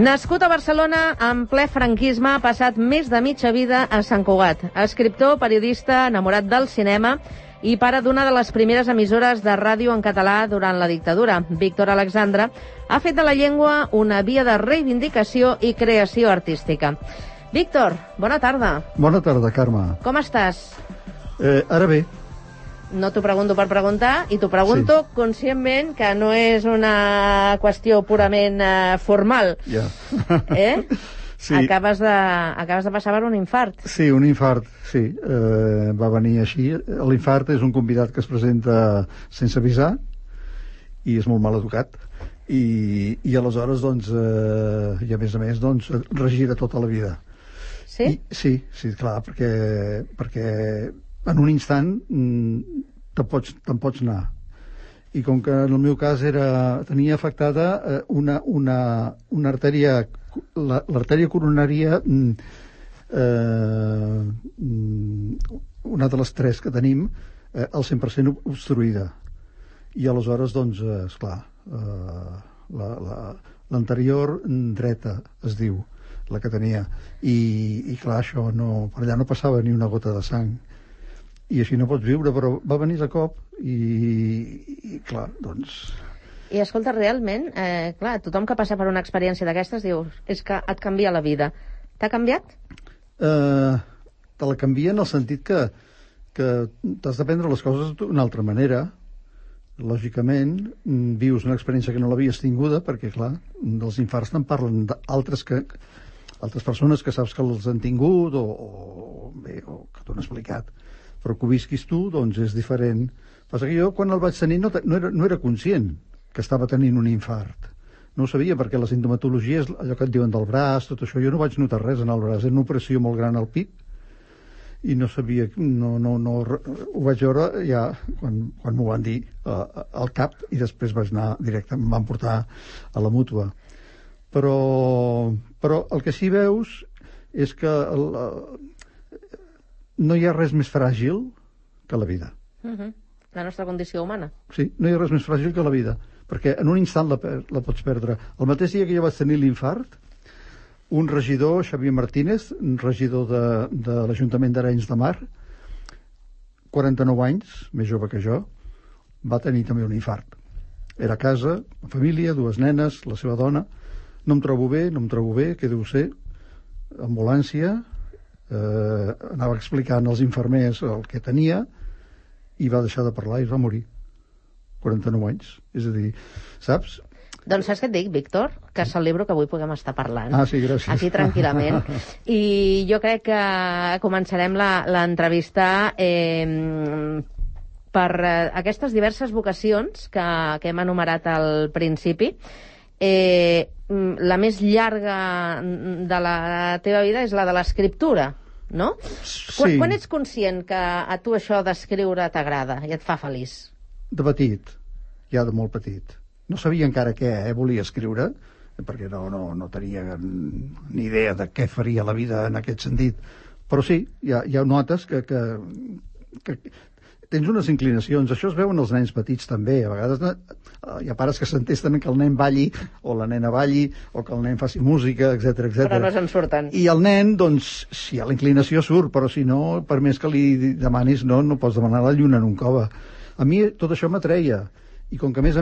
Nascut a Barcelona, en ple franquisme, ha passat més de mitja vida a Sant Cugat. Escriptor, periodista, enamorat del cinema i pare d'una de les primeres emissores de ràdio en català durant la dictadura. Víctor Alexandre ha fet de la llengua una via de reivindicació i creació artística. Víctor, bona tarda. Bona tarda, Carme. Com estàs? Ara bé. No t'ho pregunto per preguntar, i t'ho pregunto conscientment, que no és una qüestió purament formal. Ja. Sí. Acabes de passar per un infart. Sí, un infart, sí. Va venir així. L'infart és un convidat que es presenta sense avisar i és molt mal educat. I aleshores, doncs, i a més, doncs, regira tota la vida. Sí? Sí, clar, perquè en un instant te'n pots anar. I com que en el meu cas tenia afectada una artèria, l'artèria coronària, una de les tres que tenim, al 100% obstruïda. I aleshores, doncs, esclar, l'anterior dreta, es diu, la que tenia. I clar, això per allà no passava ni una gota de sang. I així no pots viure, però va venir de cop i clar, doncs... I escolta, realment, clar, tothom que passa per una experiència d'aquestes dius, és que et canvia la vida. T'ha canviat? Te la canvia en el sentit que t'has de prendre les coses d'una altra manera. Lògicament, vius una experiència que no l'havies tinguda, perquè, clar, dels infarts te'n parlen d'altres persones que saps que els han tingut o que t'ho han explicat. Però que ho visquis tu, doncs, és diferent. Passa que jo, quan el vaig tenir, no era conscient que estava tenint un infart. No ho sabia, perquè la sintomatologia és allò que et diuen del braç, tot això. Jo no vaig notar res en el braç. Era una operació molt gran al pit i no sabia... ho vaig veure ja quan m'ho van dir al cap i després vaig anar directe, em van portar a la mútua. Però el que sí veus és que no hi ha res més fràgil que la vida. La nostra condició humana. Sí, no hi ha res més fràgil que la vida, perquè en un instant la pots perdre. El mateix dia que jo vaig tenir l'infart, un regidor, Xavier Martínez, un regidor de l'Ajuntament d'Arenys de Mar, 49 anys, més jove que jo, va tenir també un infart. Era a casa, família, 2 nenes, la seva dona. No em trobo bé, què deu ser? Ambulància, anava explicant als infermers el que tenia i va deixar de parlar i va morir. 49 anys. És a dir, saps? Doncs saps què et dic, Víctor? Que celebro que avui puguem estar parlant. Ah, sí, gràcies. Aquí tranquil·lament. I jo crec que començarem l'entrevista per aquestes diverses vocacions que hem enumerat al principi. La més llarga de la teva vida és la de l'escriptura, no? Sí. Quan ets conscient que a tu això d'escriure t'agrada i et fa feliç? De petit, ja de molt petit. No sabia encara què volia escriure, perquè no tenia ni idea de què faria la vida en aquest sentit. Però sí, ja notes que tens unes inclinacions. Això es veu en els nens petits també. A vegades hi ha pares que s'entesten que el nen balli o la nena balli o que el nen faci música, etc. Però no se'n surten. I el nen, doncs, si hi ha la inclinació surt, però si no, per més que li demanis, no pots demanar la lluna en un cove. A mi tot això m'atreia. I com que, a més,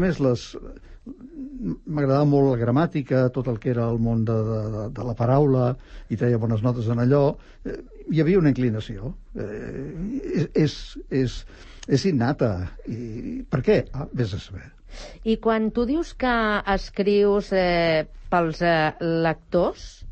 m'agradava molt la gramàtica, tot el que era el món de la paraula, i treia bones notes en allò, hi havia una inclinació. És innata. I per què? Vés a saber. I quan tu dius que escrius pels lectors,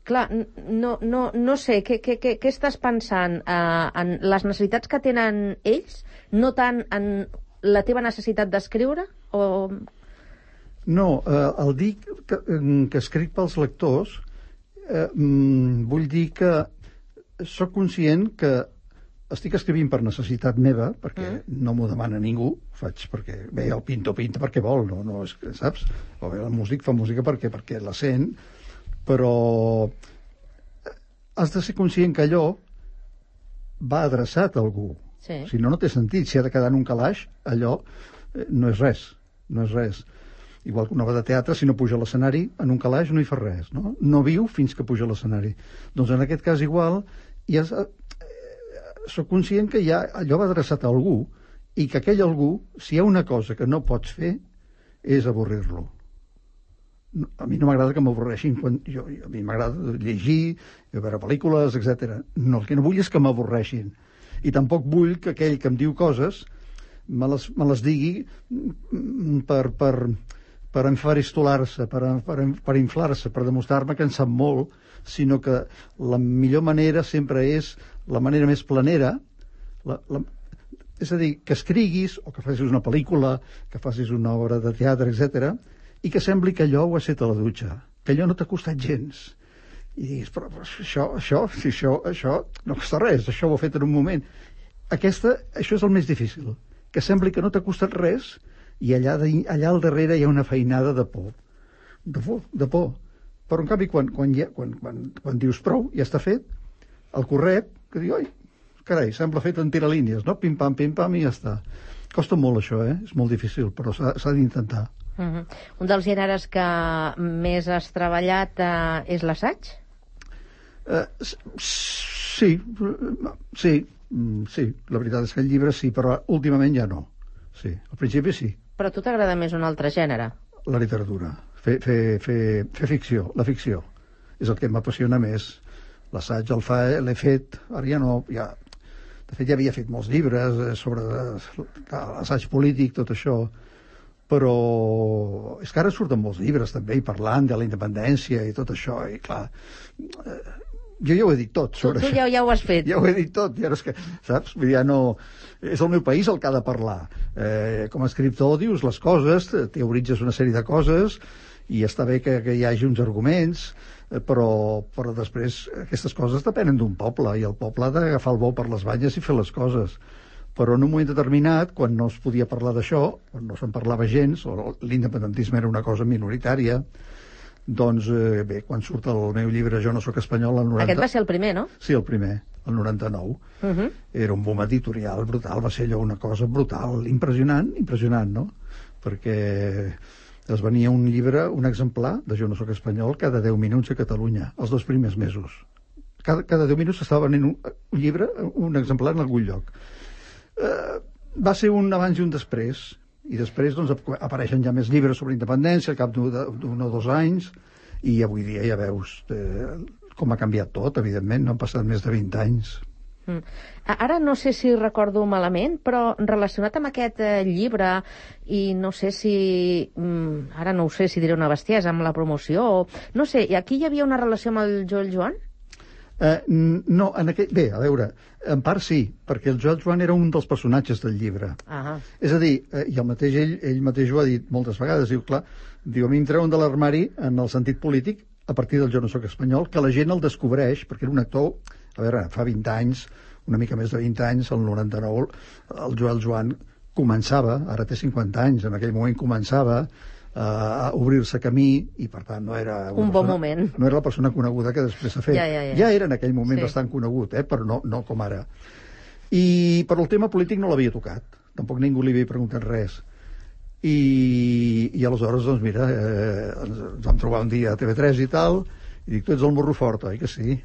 clar, no sé, què estàs pensant en les necessitats que tenen ells, no tant en la teva necessitat d'escriure? No, el dir que escric pels lectors, vull dir que sóc conscient que estic escrivint per necessitat meva, perquè no m'ho demana ningú, faig perquè el pintor pinta perquè vol, no és, saps? O bé el músic fa música perquè la sent, però has de ser conscient que allò va adreçat a algú. Sí. Si no té sentit. Si ha de quedar en un calaix, allò no és res. igual que una obra de teatre, si no puja a l'escenari, en un calaix no hi fa res, no? No viu fins que puja a l'escenari. Doncs en aquest cas igual, soc conscient que ja allò va adreçat a algú, i que aquell algú, si hi ha una cosa que no pots fer, és avorrir-lo. A mi no m'agrada que m'avorreixin, a mi m'agrada llegir, veure pel·lícules, etc. No, el que no vull és que m'avorreixin. I tampoc vull que aquell que em diu coses me les digui per enfaristolar-se, per inflar-se, per demostrar-me que en sap molt, sinó que la millor manera sempre és la manera més planera, és a dir, que escriguis, o que facis una pel·lícula, que facis una obra de teatre, etc., i que sembli que allò ho has fet a la dutxa, que allò no t'ha costat gens. I diguis, però això no costa res, això ho he fet en un moment. Això és el més difícil, que sembli que no t'ha costat res i allà al darrere hi ha una feinada de por. De por. Però, en canvi, quan dius prou, ja està fet, el corret, que diu, oi, carai, sembla fet en tiralínies, no? Pim-pam, i ja està. Costa molt, això, És molt difícil, però s'ha d'intentar. Un dels gèneres que més has treballat és l'assaig? Sí. La veritat és que el llibre sí, però últimament ja no. Sí, al principi sí. Però a tu t'agrada més un altre gènere? La literatura. Fer ficció, la ficció. És el que m'apassiona més. L'assaig l'he fet, ara ja no... De fet, ja havia fet molts llibres sobre l'assaig polític, tot això, però és que ara surten molts llibres també, i parlant de la independència i tot això, i clar, jo ja ho he dit tot sobre això. Tu ja ho has fet. Ja ho he dit tot, ja no és que, saps? Ja no... És el meu país el que ha de parlar. Com a escriptor dius les coses, teoritzes una sèrie de coses, i està bé que hi hagi uns arguments, però després aquestes coses depenen d'un poble, i el poble ha d'agafar el bou per les banyes i fer les coses. Però en un moment determinat, quan no es podia parlar d'això, quan no se'n parlava gens, o l'independentisme era una cosa minoritària, doncs, bé, quan surt el meu llibre Jo no sóc espanyol, el 90... Aquest va ser el primer, no? Sí, el primer, el 99. Era un boom editorial brutal, va ser allò una cosa brutal, impressionant, no? Perquè es venia un llibre, un exemplar de Jo no sóc espanyol cada 10 minuts a Catalunya, els 2 primers mesos. Cada 10 minuts estava venint un llibre, un exemplar en algun lloc. Va ser un abans i un després, i després doncs, apareixen ja més llibres sobre independència al cap d'un o 2 anys, i avui dia ja veus com ha canviat tot, evidentment, no han passat més de 20 anys. Ara no sé si recordo malament, però relacionat amb aquest llibre, i no sé si... ara no ho sé si diré una bestiesa, amb la promoció, o... No sé, aquí hi havia una relació amb el Joel Joan? No, bé, a veure, en part sí, perquè el Joel Joan era un dels personatges del llibre. És a dir, i ell mateix ho ha dit moltes vegades, diu, clar, a mi em treuen de l'armari en el sentit polític a partir del Jo no sóc espanyol, que la gent el descobreix, perquè era un actor, a veure, fa 20 anys, una mica més de 20 anys, el 99, el Joel Joan començava, ara té 50 anys, en aquell moment començava a obrir-se camí, i per tant no era... Un bon moment. No era la persona coneguda que després s'ha fet. Ja era en aquell moment bastant conegut, però no com ara. Però el tema polític no l'havia tocat, tampoc ningú li havia preguntat res. I aleshores, doncs mira, ens vam trobar un dia a TV3 i tal, i dic, tu ets el morro fort, oi que sí?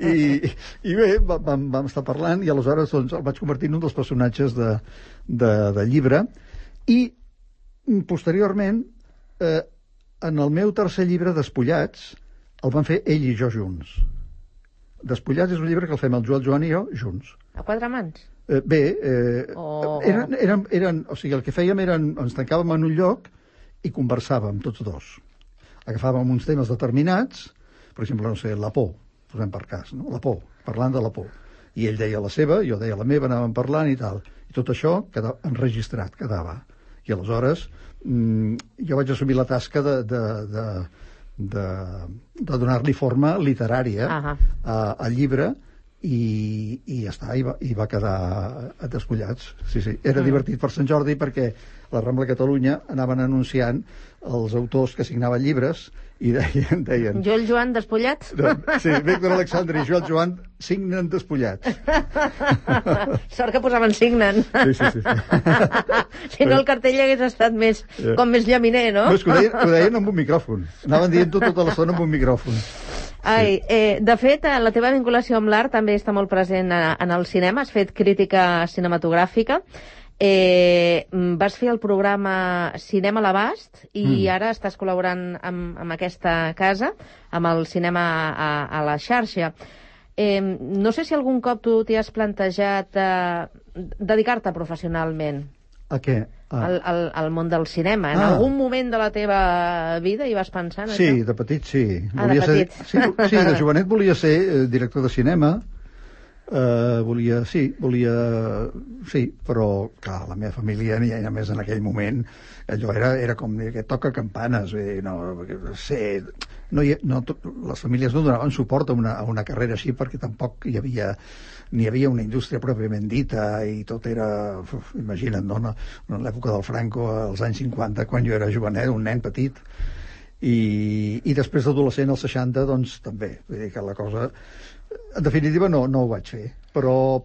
I bé, vam estar parlant, i aleshores doncs, el vaig convertir en un dels personatges de llibre, i posteriorment, en el meu tercer llibre, Despullats, el van fer ell i jo junts. Despullats és un llibre que el fem el Joel Joan i jo junts. A 4 mans? Bé, o sigui, el que fèiem ens tancàvem en un lloc i conversàvem tots dos. Agafàvem uns temes determinats, per exemple, no sé, la por, posem per cas, no? La por, parlant de la por. I ell deia la seva, jo deia la meva, anàvem parlant i tal. I tot això quedava enregistrat, quedava. I aleshores jo vaig assumir la tasca de donar-li forma literària al llibre, i ja està, i va quedar despullats. Sí. Era divertit per Sant Jordi perquè a la Rambla de Catalunya anaven anunciant els autors que signaven llibres i deien Joel Joan despullats? Sí, Víctor Alexandre i Joel Joan signen despullats. Sort que posaven signen. Sí. Si no, el cartell hagués estat com més llaminer, no? No, és que ho deien amb un micròfon. Anaven dient-ho tota l'estona amb un micròfon. Ai, de fet, la teva vinculació amb l'art també està molt present en el cinema. Has fet crítica cinematogràfica. Vas fer el programa Cinema a l'Abast i ara estàs col·laborant amb aquesta casa, amb el cinema a la xarxa. No sé si algun cop tu t'hi has plantejat dedicar-te professionalment. A què? Al món del cinema. En algun moment de la teva vida hi vas pensar en això? Sí, de petit sí. De petit. Sí, de jovenet volia ser director de cinema. Sí, però clar, la meva família, ni a més en aquell moment, allò era com que toca campanes, les famílies no donaven suport a una carrera així perquè tampoc ni hi havia una indústria pròpiament dita i tot era, imagina't, no? En l'època del Franco, als anys 50, quan jo era jovenet, un nen petit, i després d'adolescent, als 60, doncs també, vull dir que la cosa... En definitiva, no ho vaig fer, però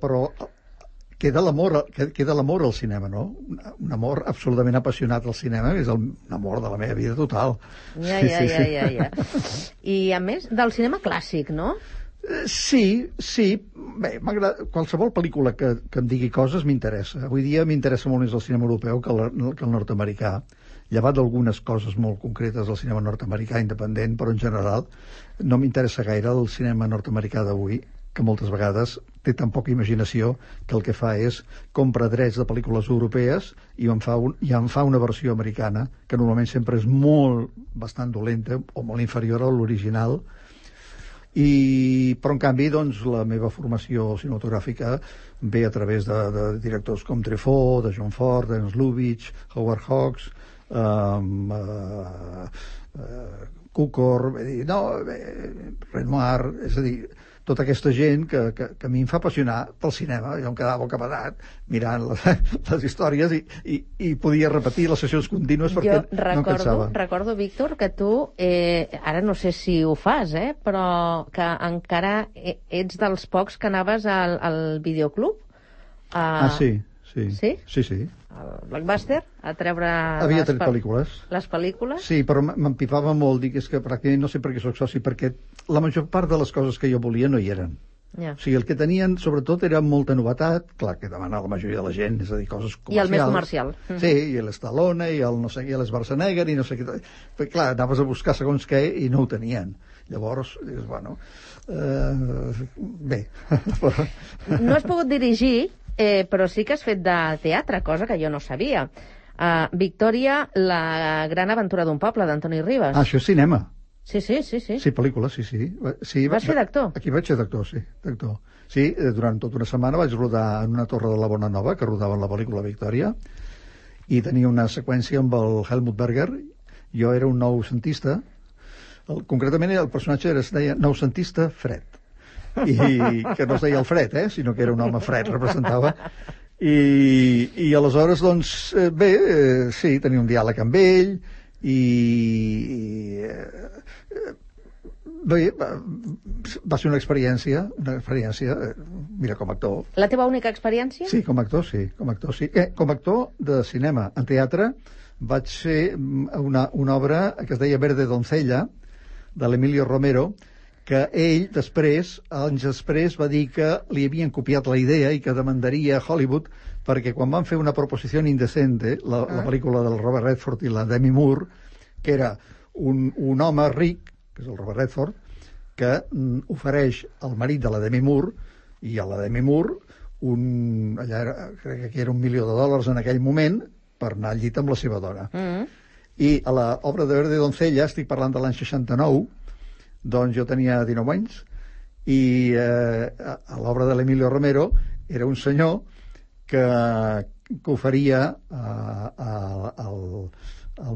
queda l'amor al cinema, no? Un amor absolutament apassionat al cinema, és l'amor de la meva vida total. Ja. I, a més, del cinema clàssic, no? Sí. Bé, m'agrada... Qualsevol pel·lícula que em digui coses m'interessa. Avui dia m'interessa molt més el cinema europeu que el nord-americà. Llevat d'algunes coses molt concretes del cinema nord-americà independent, però en general no m'interessa gaire el cinema nord-americà d'avui, que moltes vegades té tan poca imaginació que el que fa és compra drets de pel·lícules europees i en fa una versió americana, que normalment sempre és bastant dolenta o molt inferior a l'original. Però en canvi doncs, la meva formació cinematogràfica ve a través de directors com Truffaut, de John Ford, Ernst Lubitsch, Howard Hawks, Cukor, Renoir, és a dir, tota aquesta gent que a mi em fa apassionar pel cinema. Jo em quedava bocabadat mirant les històries i podia repetir les sessions contínues perquè no em cansava. Recordo, Víctor, que tu, ara no sé si ho fas, però que encara ets dels pocs que anaves al videoclub. Sí. Sí? El Blockbuster, a treure... Havia tret pel·lícules. Les pel·lícules? Sí, però m'empipava molt, dic, és que pràcticament no sé per què soc soci, perquè la major part de les coses que jo volia no hi eren. Ja. O sigui, el que tenien, sobretot, era molta novetat, clar, que demana la majoria de la gent, és a dir, coses comercials. I el més comercial. Sí, i l'Stallone, i el no sé què, i l'Schwarzenegger, i no sé què... Però, clar, anaves a buscar segons què i no ho tenien. Llavors, dius, bueno... bé... No has pogut dirigir... però sí que has fet de teatre, cosa que jo no sabia. Victòria, la gran aventura d'un poble, d'Antoni Ribas. Això és cinema. Sí. Sí, pel·lícula, sí. Vas fer d'actor? Aquí vaig fer d'actor, sí, d'actor. Sí, durant tota una setmana vaig rodar en una torre de la Bona Nova, que rodaven la pel·lícula Victòria, i tenia una seqüència amb el Helmut Berger. Jo era un noucentista, concretament el personatge es deia noucentista Fred. I que no es deia el Fred, sinó que era un home fred, representava. I aleshores, doncs, sí, tenia un diàleg amb ell i bé, va ser una experiència, mira, com a actor. La teva única experiència? Sí, com a actor, sí. Com a actor de cinema. En teatre vaig fer una obra que es deia Verde Doncella, de l'Emilio Romero, que ell després, anys després, va dir que li havien copiat la idea i que demandaria Hollywood perquè quan van fer una proposició indecente, la pel·lícula del Robert Redford i la Demi Moore, que era un home ric, que és el Robert Redford, que ofereix al marit de la Demi Moore i a la Demi Moore crec que era $1 milió en aquell moment per anar al llit amb la seva dona. I a l'obra de Verde Doncella, estic parlant de l'any 69, doncs jo tenia 19 anys i a l'obra de l'Emilio Romero era un senyor que oferia al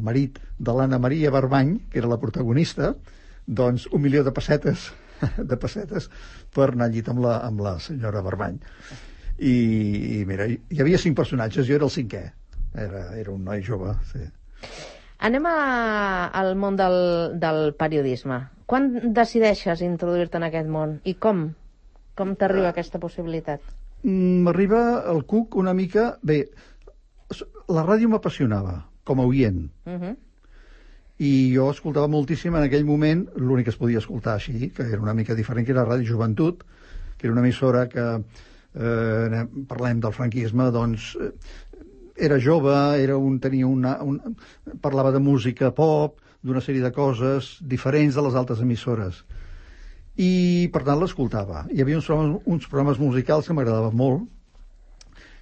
marit de l'Anna Maria Barbany, que era la protagonista, doncs $1 milió de pessetes de pessetes per anar al llit amb la senyora Barbany. I mira, hi havia 5 personatges, jo era el 5è. Era un noi jove, sí. Anem al món del periodisme. Quan decideixes introduir-te en aquest món? I com? Com t'arriba aquesta possibilitat? M'arriba el cuc una mica... Bé, la ràdio m'apassionava, com a oient. I jo escoltava moltíssim en aquell moment, l'únic que es podia escoltar així, que era una mica diferent, que era Ràdio Joventut, que era una emissora que, parlem del franquisme, doncs... Era jove, parlava de música pop, d'una sèrie de coses diferents de les altres emissores. I, per tant, l'escoltava. Hi havia uns programes musicals que m'agradaven molt,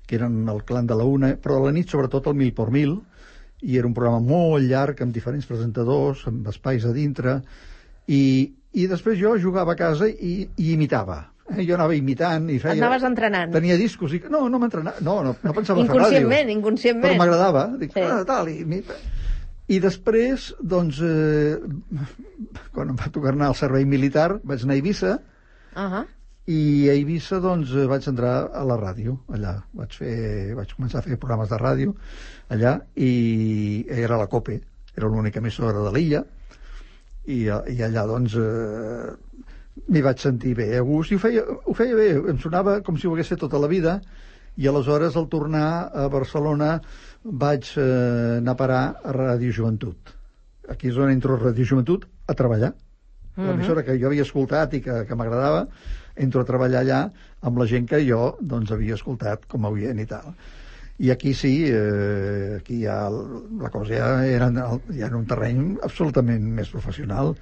que eren el Clan de la Una, però a la nit, sobretot, el 1000 por 1000, i era un programa molt llarg, amb diferents presentadors, amb espais a dintre, i després jo jugava a casa i imitava. Jo anava imitant i feia... Anaves entrenant. Tenia discos i... No m'entrenava. No pensava fer ràdio. Inconscientment. Però m'agradava. Dic, tal, i després, doncs, quan em va tocar anar al servei militar, vaig anar a Eivissa, i a Eivissa, doncs, vaig entrar a la ràdio, allà. Vaig començar a fer programes de ràdio, allà, i era la COPE, era l'única emissora de l'illa, i allà, doncs... m'hi vaig sentir bé, a gust, i ho feia bé, em sonava com si ho hagués fet tota la vida, i aleshores, al tornar a Barcelona, vaig anar a parar a Ràdio Joventut. Aquí és on entro a Ràdio Joventut a treballar. L'emissora que jo havia escoltat i que m'agradava, entro a treballar allà amb la gent que jo doncs, havia escoltat com a oient i tal. I aquí sí, aquí ja la cosa ja era en un terreny absolutament més professional.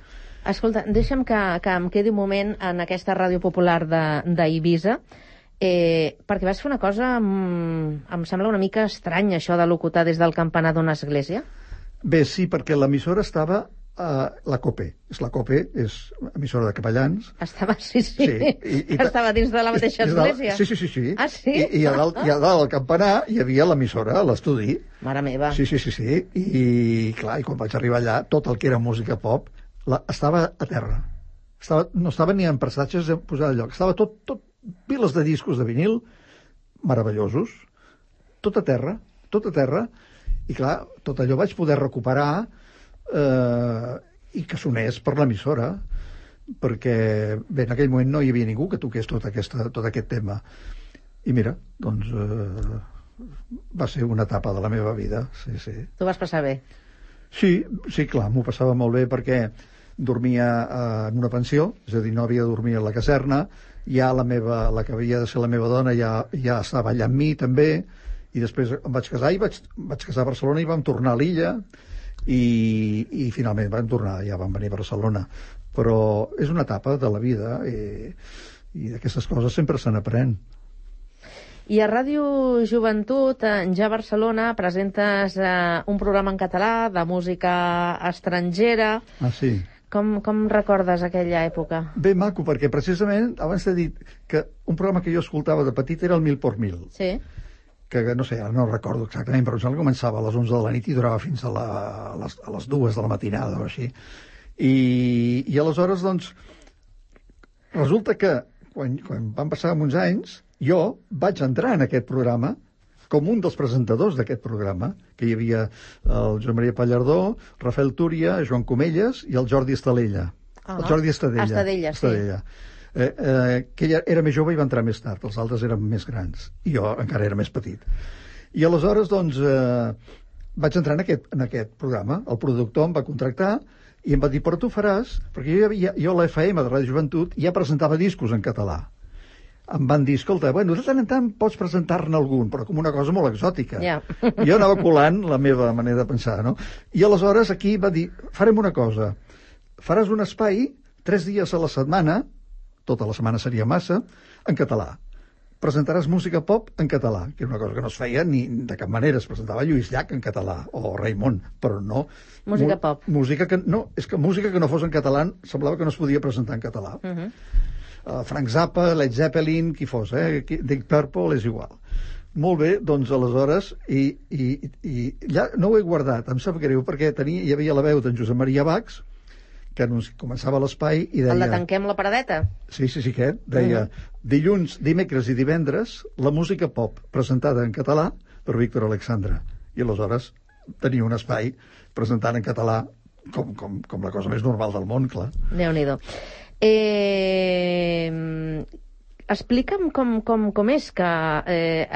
Escolta, deixa'm que em quedi un moment en aquesta ràdio popular d'Eivissa, perquè vas fer una cosa, em sembla una mica estrany, això de locutar des del campanar d'una església. Bé, sí, perquè l'emissora estava a la COPE. La COPE és emissora de capellans. Estava, sí. Estava dins de la mateixa església. Sí. Ah, sí? I a dalt del campanar hi havia l'emissora, l'estudi. Mare meva. Sí. I clar, i quan vaig arribar allà, tot el que era música pop estava a terra. No estava ni en prestatges posat al lloc. Estava tot piles de discos de vinil meravellosos, tot a terra, i clar, tot allò vaig poder recuperar i que sonés per l'emissora, perquè bé, en aquell moment no hi havia ningú que toqués tot aquest tema. I mira, doncs va ser una etapa de la meva vida, sí. Tu vas passar bé? Sí, clar, m'ho passava molt bé perquè dormia en una pensió, és a dir, no havia de dormir a la caserna, ja la que havia de ser la meva dona ja estava allà amb mi també, i després em vaig casar i vaig casar a Barcelona i vam tornar a l'illa i finalment vam tornar, ja vam venir a Barcelona. Però és una etapa de la vida i d'aquestes coses sempre se n'aprèn. I a Ràdio Joventut, ja a Barcelona, presentes un programa en català de música estrangera. Ah, sí. Com recordes aquella època? Bé, maco, perquè precisament abans t'he dit que un programa que jo escoltava de petit era el 1000 por 1000. Sí. Que no sé, ara no recordo exactament, però començava a les 11 de la nit i durava fins a les 2 de la matinada o així. I aleshores, doncs, resulta que quan van passar uns anys, jo vaig entrar en aquest programa com un dels presentadors d'aquest programa, que hi havia el Joan Maria Pallardó, Rafael Túria, Joan Comelles i el Jordi Estadella. El Jordi Estadella, sí. Que ella era més jove i va entrar més tard, els altres eren més grans, i jo encara era més petit. I aleshores, doncs, vaig entrar en aquest programa, el productor em va contractar i em va dir, però tu faràs, perquè jo a l'FM de Ràdio Joventut ja presentava discos en català. Em van dir, escolta, bueno, de tant en tant pots presentar-ne algun, però com una cosa molt exòtica. Yeah. Jo anava colant la meva manera de pensar, no? I aleshores aquí va dir, farem una cosa, faràs un espai 3 dies a la setmana, tota la setmana seria massa, en català. Presentaràs música pop en català, que era una cosa que no es feia ni de cap manera. Es presentava Lluís Llach en català, o Raimon, però no... Música pop. Música que no fos en català semblava que no es podia presentar en català. Frank Zappa, Led Zeppelin, qui fos, Deep Purple, és igual. Molt bé, doncs aleshores, i ja no ho he guardat, em sap greu, perquè hi havia la veu d'en Josep Maria Bacs, que començava l'espai i deia... El de Tanquem la paradeta? Sí, aquest. Deia, dilluns, dimecres i divendres, la música pop, presentada en català per Víctor Alexandre. I aleshores tenia un espai presentant en català com la cosa més normal del món, clar. Déu-n'hi-do. Explica'm com és que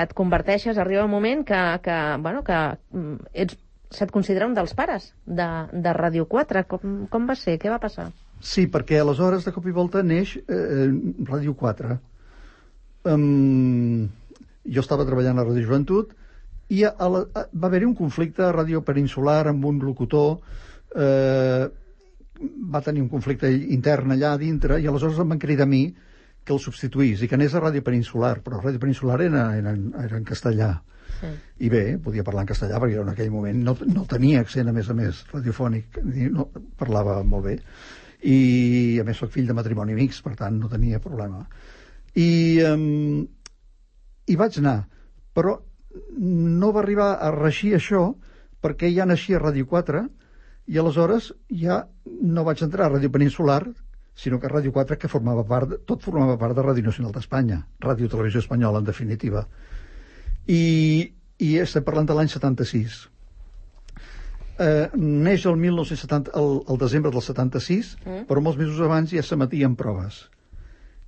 et converteixes, arriba un moment que se't considera un dels pares de Ràdio 4. Com va ser? Què va passar? Sí, perquè aleshores, de cop i volta, neix Ràdio 4. Jo estava treballant a Ràdio Joventut i va haver-hi un conflicte a Ràdio Peninsular amb un locutor. Va tenir un conflicte intern allà dintre i aleshores em van cridar a mi que el substituís i que anés a Ràdio Peninsular, però Ràdio Peninsular era en castellà. Sí. I bé, podia parlar en castellà perquè en aquell moment no tenia accent, a més radiofònic, no, parlava molt bé. I a més soc fill de matrimoni mixt, per tant no tenia problema. I vaig anar, però no va arribar a reixir això perquè ja naixia Ràdio 4 i aleshores ja no vaig entrar a Ràdio Peninsular, sinó que Ràdio 4, que formava part de Ràdio Nacional d'Espanya, Ràdio Televisió Espanyola, en definitiva. I estem parlant de l'any 76. Neix el desembre del 76, però molts mesos abans ja s'emetien proves.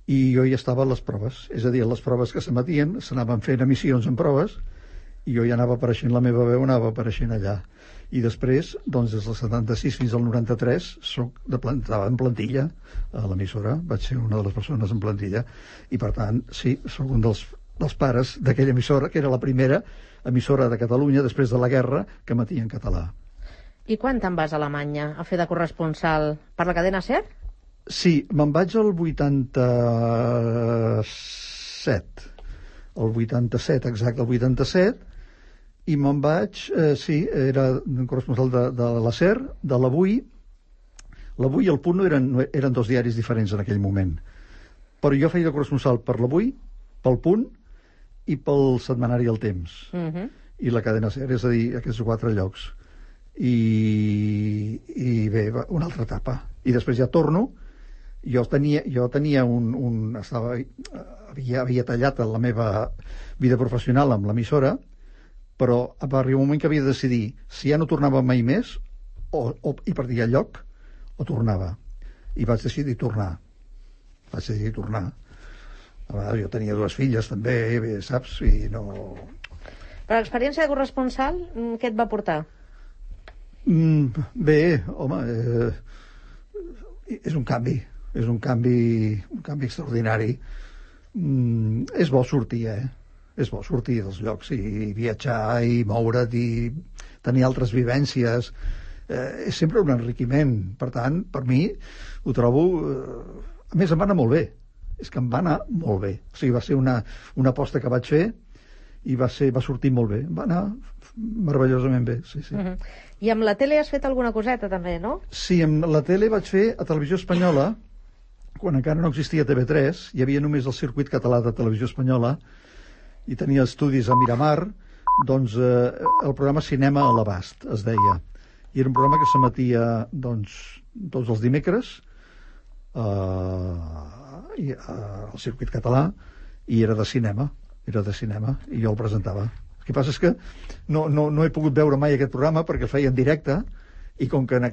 I jo ja estava a les proves, és a dir, les proves que s'emetien, s'anaven fent emissions en proves, i jo ja anava apareixent, la meva veu anava apareixent allà. I després, doncs, des del 76 fins al 93, estava en plantilla a l'emissora, vaig ser una de les persones en plantilla, i per tant, sí, soc un dels pares d'aquella emissora, que era la primera emissora de Catalunya després de la guerra que emetia en català. I quan te'n vas a Alemanya a fer de corresponsal? Per la cadena SER? Sí, me'n vaig al 87. El 87, exacte, el 87, i me'n vaig, era corresponsal de la SER, de l'Avui. L'Avui i el Punt eren dos diaris diferents en aquell moment. Però jo feia de corresponsal per l'Avui, pel Punt i pel setmanari El Temps. I la cadena SER, és a dir, aquests 4 llocs. I bé, una altra etapa. I després ja torno. Jo tenia havia tallat la meva vida professional amb l'emissora, però va arribar un moment que havia de decidir si ja no tornava mai més i perdia el lloc o tornava. I vaig decidir tornar. Jo tenia 2 filles també, saps? I no... Per l'experiència de corresponsal, què et va portar? Bé, home, és un canvi extraordinari. És bo sortir, és bo sortir dels llocs i viatjar i moure't i tenir altres vivències. És sempre un enriquiment. Per tant, per mi ho trobo... A més, em va anar molt bé. És que em va anar molt bé. O sigui, va ser una aposta que vaig fer i va sortir molt bé. Va anar meravellosament bé, sí. I amb la tele has fet alguna coseta també, no? Sí, amb la tele vaig fer a Televisió Espanyola, quan encara no existia TV3, hi havia només el circuit català de Televisió Espanyola i tenia estudis a Miramar, doncs el programa Cinema a l'Abast, es deia. I era un programa que s'emetia, doncs, tots els dimecres al circuit català i era de cinema, i jo el presentava. El que passa és que no he pogut veure mai aquest programa perquè el feia en directe i com que en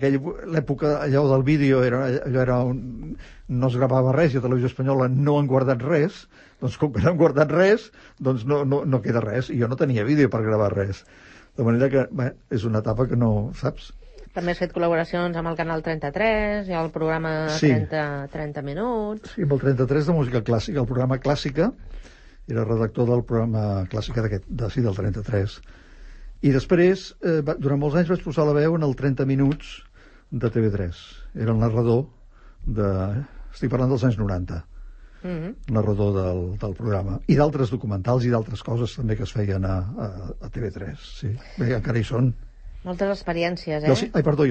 l'època allò del vídeo no es gravava res i a Televisió Espanyola no han guardat res, doncs com que no han guardat res, doncs no queda res, i jo no tenia vídeo per gravar res. De manera que és una etapa que no, saps? També has fet col·laboracions amb el Canal 33 i el programa 30 minuts. Sí, amb el 33 de música clàssica, el programa Clàssica, era redactor del programa Clàssica del 33. I després, durant molts anys vaig posar la veu en el 30 minuts de TV3. Era el narrador estic parlant dels anys 90. Narrador del programa. I d'altres documentals i d'altres coses també que es feien a TV3. Sí, bé, encara hi són. Moltes experiències, I el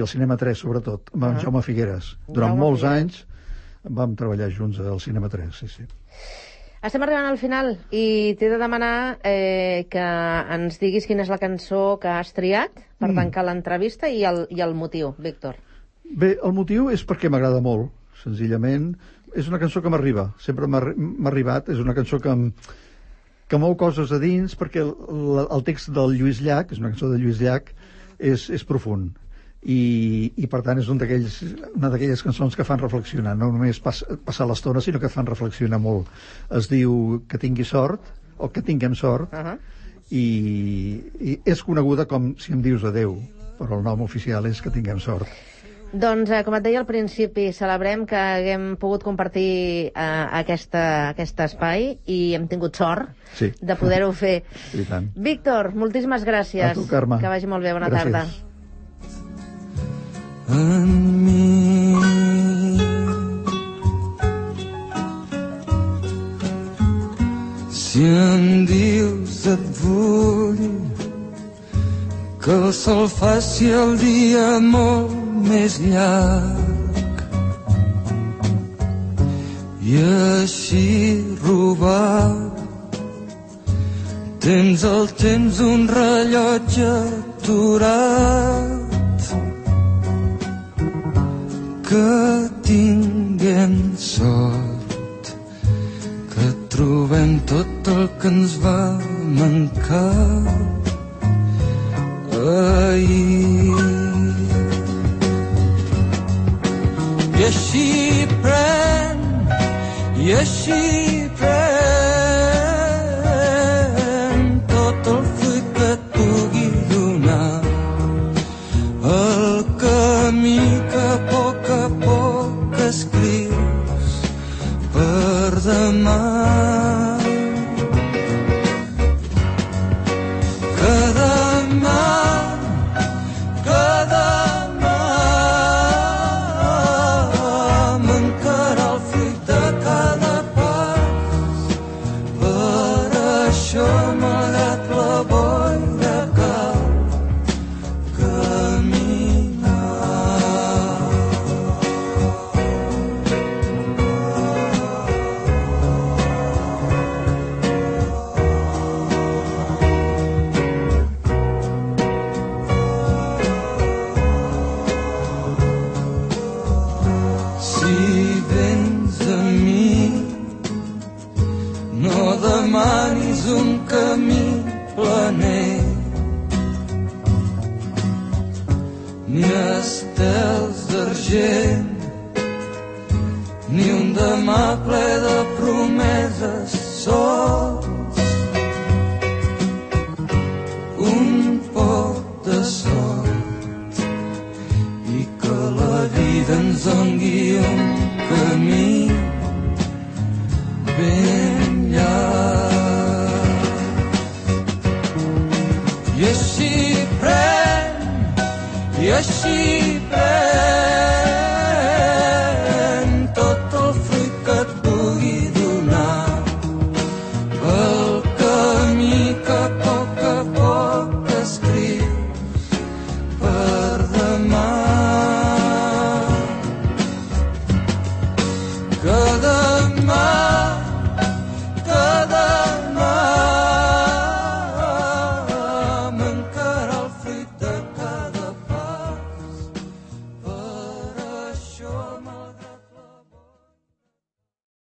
Cinema 3, sobretot, amb en Jaume Figueres. Durant molts anys vam treballar junts al Cinema 3, sí. Estem arribant al final i t'he de demanar que ens diguis quina és la cançó que has triat per tancar l'entrevista i el motiu, Víctor. Bé, el motiu és perquè m'agrada molt, senzillament. És una cançó que m'arriba, sempre m'ha arribat. És una cançó que mou coses a dins, perquè el text del Lluís Llach, és una cançó de Lluís Llach, és profund. I per tant és una d'aquelles cançons que fan reflexionar, no només passar l'estona, sinó que fan reflexionar molt. Es diu Que tingui sort, o Que tinguem sort, i és coneguda com Si em dius adeu, però el nom oficial és Que tinguem sort. Doncs, com et deia al principi, celebrem que haguem pogut compartir aquest espai i hem tingut sort de poder-ho fer. I tant. Víctor, moltíssimes gràcies. A tu, Carme. Que vagi molt bé, bona tarda. En mi si em dius et vull, que el sol faci el dia molt més llarg i així robar tens el temps un rellotge aturat. Que tinguem sort, que trobem tot el que ens va mancar ahir. I així pren, i així pren tot el fruit que et pugui donar el camí que a poc escrius per demà. Que demà mancarà el fruit de cada pas. Per això, malgrat la boira, cal caminar. Si vens a mi, no demanis un camí planer, ni estels d'argent, ni un demà ple de promeses sols. Un poc de sort i que la vida ens doni un camí ben llarg. I així pren, i així pren